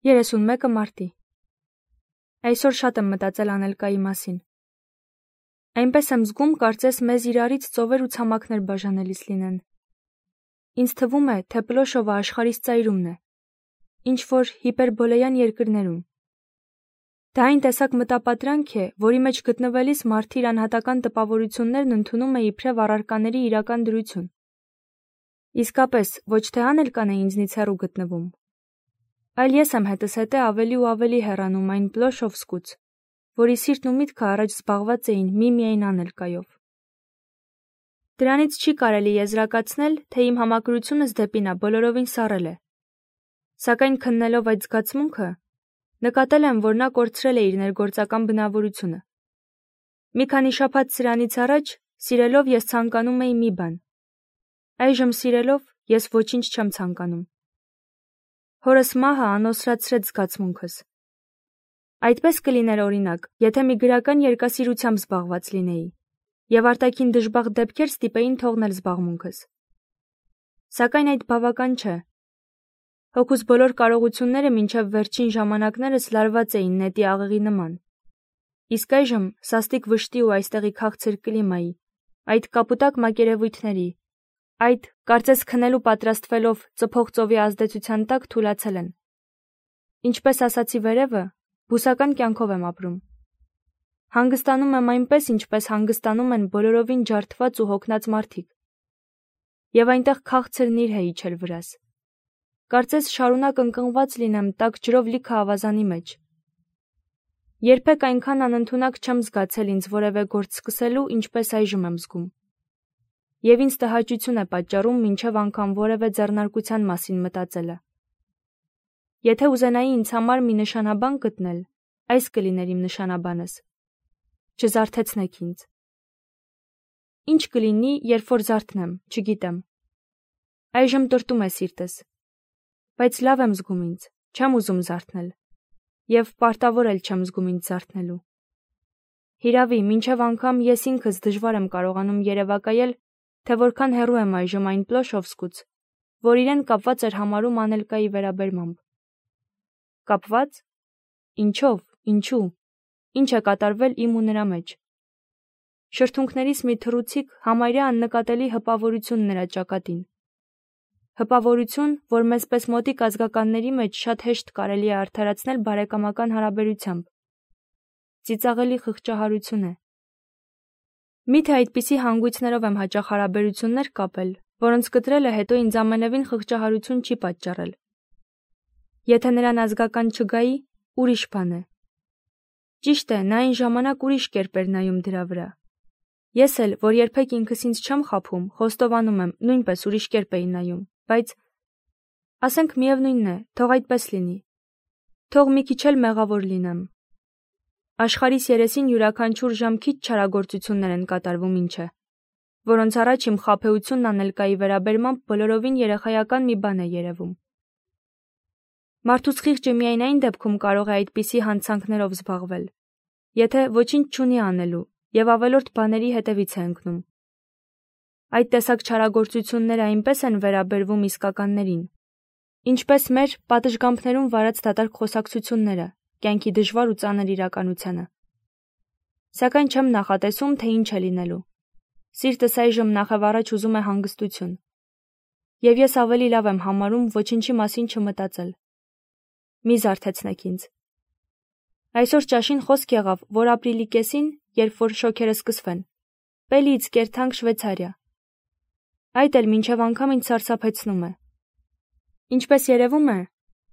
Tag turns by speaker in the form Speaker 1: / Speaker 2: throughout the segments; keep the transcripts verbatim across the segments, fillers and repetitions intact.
Speaker 1: երեսունմեկը մարտի։ Այսօր շատ եմ մտածել Անելկայի մասին։ Այնպես եմ զգում, կարծես մեզ իրարից ծովեր ու ցամաքներ բաժանելիս լինեն։ Ինձ թվում է, թե Պլոշովը աշխարհիս ծայրումն է, ինչ-որ հիպերբոլեյան երկրներում։ Դա այն տեսակ մտապատրանք է, որի մեջ գտնվելիս մարդը իր անհատական տպավորություններն ընդունում է իբրև առարկաների իրական դրություն։ Իսկապես, ոչ թե Անելկան է ինձնից հեռու գտնվում, այլ ես եմ հետս հետե ավելի ու ավելի հեռանում այն Պլոշովսկուց, որի սիրտն ու միտքը առաջ զբաղված էին միմիայն Անելկայով։ Դրանից չի կարելի եզրակացնել, թե իմ համակրությունս դեպի նա բոլորովին սառել է։ Սակայն քննելով այդ զգացմունքը, նկատել եմ, որ նա կորցրել է իր ներգործական բնավորությունը։ Մի քանի շաբաթ սրանից առաջ սիրելով ես ցանկանում էի մի բան։ Այժմ սիրելով ես ոչինչ չեմ ցանկանում։ Հորս մահը անոսրացրեց զգացմունքս։ Այդպես կլիներ օրինակ, եթե մի գրական երկասիրությամբ զբաղված լինեի, եւ արտաքին դժբախտ դեպքեր ստիպեին թողնել զբաղմունքս։ Սակայն այդ բավական չէ։ Հոգուս բոլոր կարողությունները մինչև վերջին ժամանակներս լարված էին նետի աղեղի նման։ Իսկ այժմ սաստիկ վշտի ու այստեղի քաղցր կլիմայի, այդ կապուտակ մակերևույթների, այդ, կարծես քնելու պատրաստվելով ծփող ծովի ազդեցության տակ թուլացել են։ Ինչպես ասացի վերևը, բուսական կյանքով եմ ապրում։ Հանգստանում եմ այնպես, ինչպես հանգստանում են բոլորովին ջարդված ու հոգնած մարդիկ։ Եվ այնտեղ քաղցրն իր է իջել վրաս։ Կարծես շարունակ ընկղմված լինեմ տաք ջրով լիքը ավազանի մեջ։ Երբեք այնքան անընդունակ չեմ զգացել ինձ որևէ գործ սկսելու, ինչպես այժմ եմ զգում։ Եվ ինձ տհաճություն է պատճառում մինչև անգամ որևէ ձեռնարկության մասին մտածելը։ Եթե ուզենայի ինձ համար մի նշանաբան գտնել, այս կլիներ իմ նշանաբանս։ Չզարթեցնեք ինձ։ Ինչ կլինի, երբ որ զարթնեմ, չգիտեմ։ Այժմ տրտում է սիրտս։ Բայց լավ եմ զգում ինձ, չեմ ուզում զարթնել։ Եվ պարտավոր էլ չեմ զգում ինձ զարթնելու։ Հիրավի, մինչև անգամ ես ինքս դժվար եմ կարողանում երևակայել, թե որքան հեռու եմ այժմ այն Պլոշովսկուց, որ իրեն կապված էր համարում Անելկայի վերաբերմամբ։ Կապված։ Ինչով, ինչու, ինչ է կատարվել իմ ու նրա մեջ։ Շրթունքներիս մի թռուցիկ համարյա աննկատելի հպավորություն նրա ճակատին։ Հպավորություն, որ մեզ պես մոտիկ ազգականների մեջ շատ հեշտ կարելի է արդարացնել բարեկամական հարաբերությամբ։ Ծիծաղելի խղճահարություն է։ Միթե այդպիսի հանգույցներով եմ հաճախ հարաբերություններ կապել, որոնց կտրելը հետո ինձ ամենևին խղճահարություն չի պատճառել։ Եթե նրան ազգական չգայի, ուրիշ բան է։ Ճիշտ է, նա այն ժամանակ ուրիշ կերպ էր նայում դրա վրա։ Ես էլ, որ երբեք ինքս ինձ չեմ խաբում, խոստովանում եմ, նույնպես ուրիշ կերպ էի նայում, բայց ասենք միևնույնն է, թող այդպես լինի։ Թող մի քիչ էլ մեղավոր լինեմ։ Աշխարհիս երեսին յուրաքանչյուր ժամ քիչ չարագործություններ են կատարվում, ինչ է, որոնց առաջ իմ խաբեությունն Անելկայի վերաբերմամբ բոլորովին երեխայական մի բան է երևում։ Մարդուց խիղճը միայն այն դեպքում կարող է այդպիսի հանցանքներով զբաղվել, եթե ոչինչ չունի անելու եւ ավելորդ բաների հետևից է ընկնում։ Այդ տեսակ չարագործությունները այնպես են վերաբերվում իսկականներին, ինչպես մեր պատշգամբներում վարած դատարկ խոսակցությունները կյանքի դժվար ու ծանր իրականությանը։ Սակայն չեմ նախատեսում, թե ինչ է լինելու։ Սիրտս այժմ նախևառաջ ուզում է հանգստություն։ Եվ ես ավելի լավ եմ համարում ոչինչի մասին չմտածել։ Մի զարթեցնեք ինձ։ Այսօր ճաշին խոսք եղավ, որ ապրիլի կեսին, երբ որ շոքերը սկսվեն, Պելիից կերթանք Շվեյցարիա։ Այդ էլ մինչև անգամ ինձ սարսափեցնում է։ Ինչպես երևում է,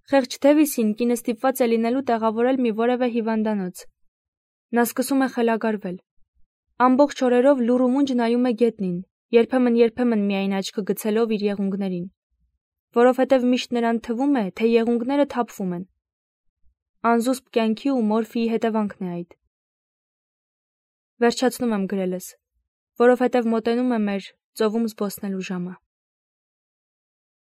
Speaker 1: խեղճ Դևիսին կինը ստիպված է լինելու տեղավորել մի որևէ հիվանդանոց։ Նա սկսում է խելագարվել։ Ամբողջ օրերով լուռ ու մունջ նայում է գետնին, երբեմն-երբեմն միայն աչքը գցելով իր եղունգներին, որովհետև միշտ նրան թվում է, թե եղունգները թափվում են։ Անզուսպ կյանքի ու մորֆիի հետևանքն է այդ։ Վերջացնում եմ գրելս, որովհետև մոտենում է մեր ծովում զբոսնելու ժամը։